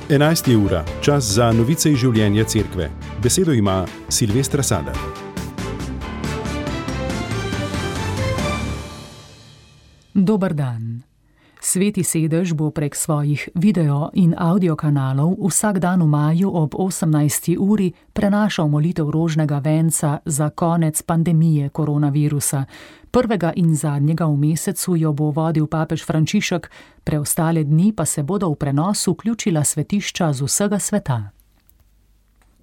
11. ura, čas za novice iz življenja cerkve. Besedo ima Silvestra Sadar. Dober dan. Sveti sedež bo prek svojih video in audio kanalov vsak dan v maju ob 18. uri prenašal molitev rožnega venca za konec pandemije koronavirusa. Prvega in zadnjega v mesecu jo bo vodil papež Frančišek, preostale dni pa se bodo v prenos vključila svetišča z vsega sveta.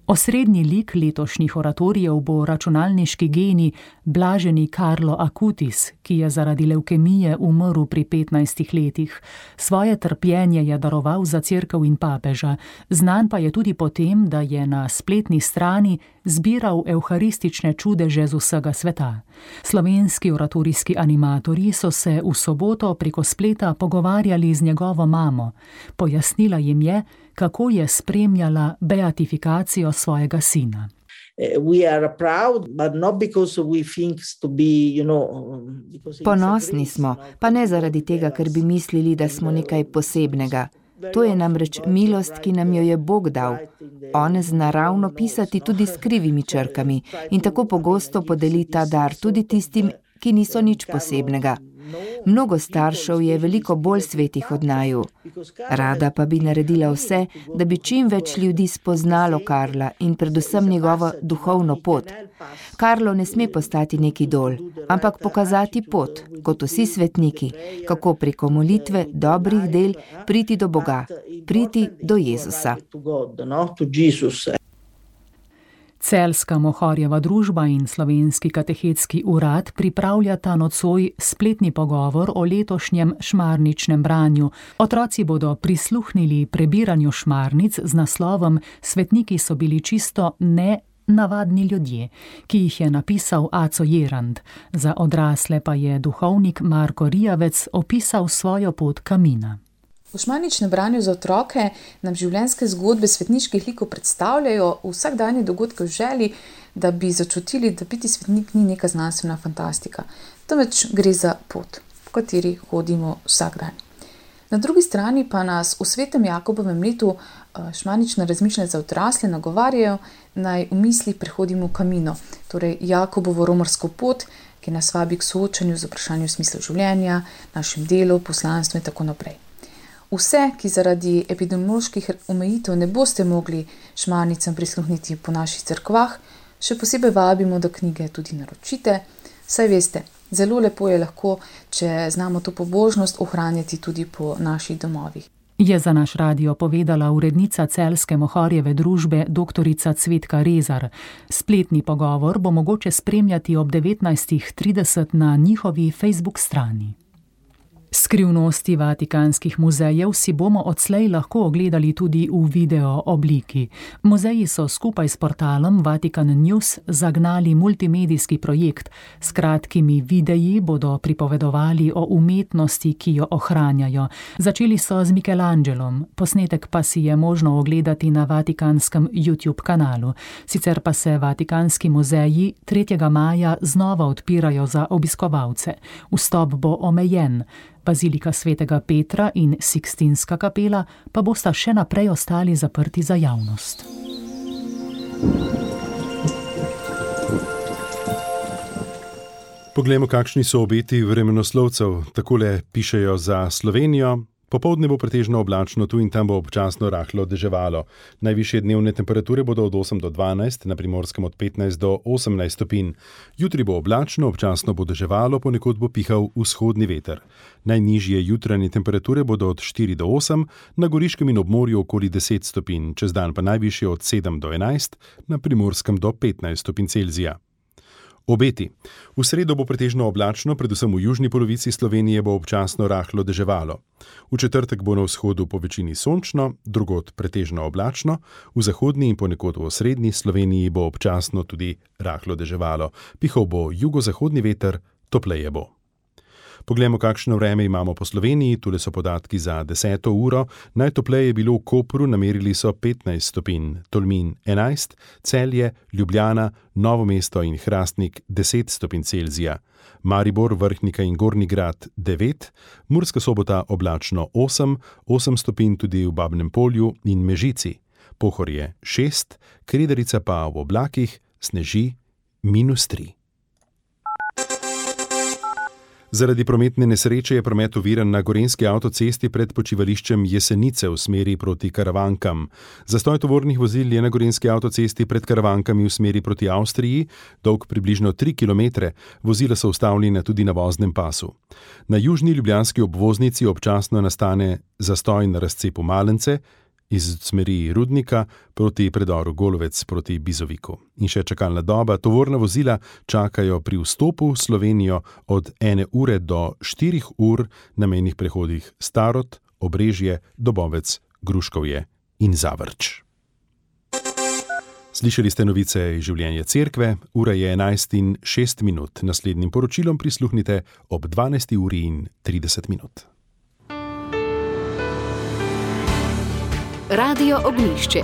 Osrednji lik letošnjih oratorijev bo računalniški genij blaženi Carlo Acutis, ki je zaradi levkemije umrl pri 15 letih. Svoje trpljenje je daroval za cerkev in papeža, znan pa je tudi po tem, da je na spletni strani zbiral evharistične čudeže z vsega sveta. Slovenski oratorijski animatorji so se v soboto preko spleta pogovarjali z njegovo mamo. Pojasnila jim je, kako je spremljala beatifikacijo svojega sina. Ponosni smo, pa ne zaradi tega, ker bi mislili, da smo nekaj posebnega. To je namreč milost, ki nam jo je Bog dal. On zna ravno pisati tudi s krivimi črkami in tako pogosto podeli ta dar tudi tistim, ki niso nič posebnega. Mnogo staršev je veliko bolj svetih od naju. Rada pa bi naredila vse, da bi čim več ljudi spoznalo Karla in predvsem njegovo duhovno pot. Karlo ne sme postati nek idol, ampak pokazati pot, kot vsi svetniki, kako preko molitve, dobrih del priti do Boga, priti do Jezusa. Celjska Mohorjeva družba in Slovenski katehetski urad pripravljata nocoj spletni pogovor o letošnjem šmarničnem branju. Otroci bodo prisluhnili prebiranju šmarnic z naslovom Svetniki so bili čisto nenavadni ljudje, ki jih je napisal Aco Jerand. Za odrasle pa je duhovnik Marko Rijavec opisal svojo pot kamina. V šmarničnem branju za otroke nam življenjske zgodbe svetniških likov predstavljajo vsakdanje dogodke v želji, da bi začutili, da biti svetnik ni neka znanstvena fantastika, temveč gre za pot, po kateri hodimo vsak dan. Na drugi strani pa nas v svetem Jakobovem letu šmarnična razmišljanja za odrasle nagovarjajo, naj v misli prehodimo kamino, torej Jakobovo romarsko pot, ki nas vabi k soočanju z vprašanjem smisla življenja, našem delu, poslanstvu in tako naprej. Vse, ki zaradi epidemioloških omejitev ne boste mogli šmarnicam prisluhniti po naših cerkvah, še posebej vabimo, da knjige tudi naročite. Saj veste, zelo lepo je lahko, če znamo to pobožnost ohranjati tudi po naših domovih. Je za naš radio povedala urednica Celjske Mohorjeve družbe doktorica Cvetka Rezar. Spletni pogovor bo mogoče spremljati ob 19:30 na njihovi Facebook strani. Skrivnosti vatikanskih muzejev si bomo odslej lahko ogledali tudi v video obliki. Muzeji so skupaj s portalom Vatikan News zagnali multimedijski projekt. S kratkimi videi bodo pripovedovali o umetnosti, ki jo ohranjajo. Začeli so z Michelangelom, posnetek pa si je možno ogledati na vatikanskem YouTube kanalu. Sicer pa se vatikanski muzeji 3. maja znova odpirajo za obiskovalce. Vstop bo omejen. Bazilika svetega Petra in Sikstinska kapela pa bosta še naprej ostali zaprti za javnost. Poglejmo, kakšni so obeti vremenoslovcev. Takole pišejo za Slovenijo. Popoldne bo pretežno oblačno, tu in tam bo občasno rahlo deževalo. Najvišje dnevne temperature bodo od 8 do 12, na Primorskem od 15 do 18 stopinj. Jutri bo oblačno, občasno bo deževalo, ponekod bo pihal vzhodni veter. Najnižje jutranje temperature bodo od 4 do 8, na Goriškem in obmorju okoli 10 stopinj, čez dan pa najvišje od 7 do 11, na Primorskem do 15 stopinj Celzija. Obeti. V sredo bo pretežno oblačno, predvsem v južni polovici Slovenije bo občasno rahlo deževalo. V četrtek bo na vzhodu po večini sončno, drugod pretežno oblačno, v zahodni in ponekod v osrednji Sloveniji bo občasno tudi rahlo deževalo. Pihal bo jugozahodni veter, topleje bo. Poglejmo, kakšno vreme imamo po Sloveniji. Tule so podatki za 10. uro. Najtopleje je bilo v Kopru, namerili so 15 stopinj, Tolmin 11, Celje, Ljubljana, Novo mesto in Hrastnik 10 stopinj Celzija. Maribor, Vrhnika in Gornji Grad 9, Murska Sobota oblačno 8 stopinj tudi v Babnem Polju in Mežici. Pohorje 6, Kredarica pa v oblakih sneži -3. Zaradi prometne nesreče je promet oviran na gorenjski avtocesti pred počivališčem Jesenice v smeri proti Karavankam. Zastoj tovornih vozil je na gorenjski avtocesti pred Karavankami v smeri proti Avstriji, dolg približno 3 km, vozila so ustavljena tudi na voznem pasu. Na južni ljubljanski obvoznici občasno nastane zastoj na razcepu Malence, iz smeri Rudnika proti predoru Golovec proti Bizoviku. In še čakalna doba, tovorna vozila čakajo pri vstopu v Slovenijo od 1 ure do 4 ur na mejnih prehodih Starod, Obrežje, Dobovec, Gruškovje in Zavrč. Slišali ste novice iz življenja cerkve, ura je 11:06. Naslednjim poročilom prisluhnite ob 12:30. Radio Ognjišče.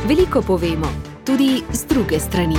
Veliko povemo, tudi z druge strani.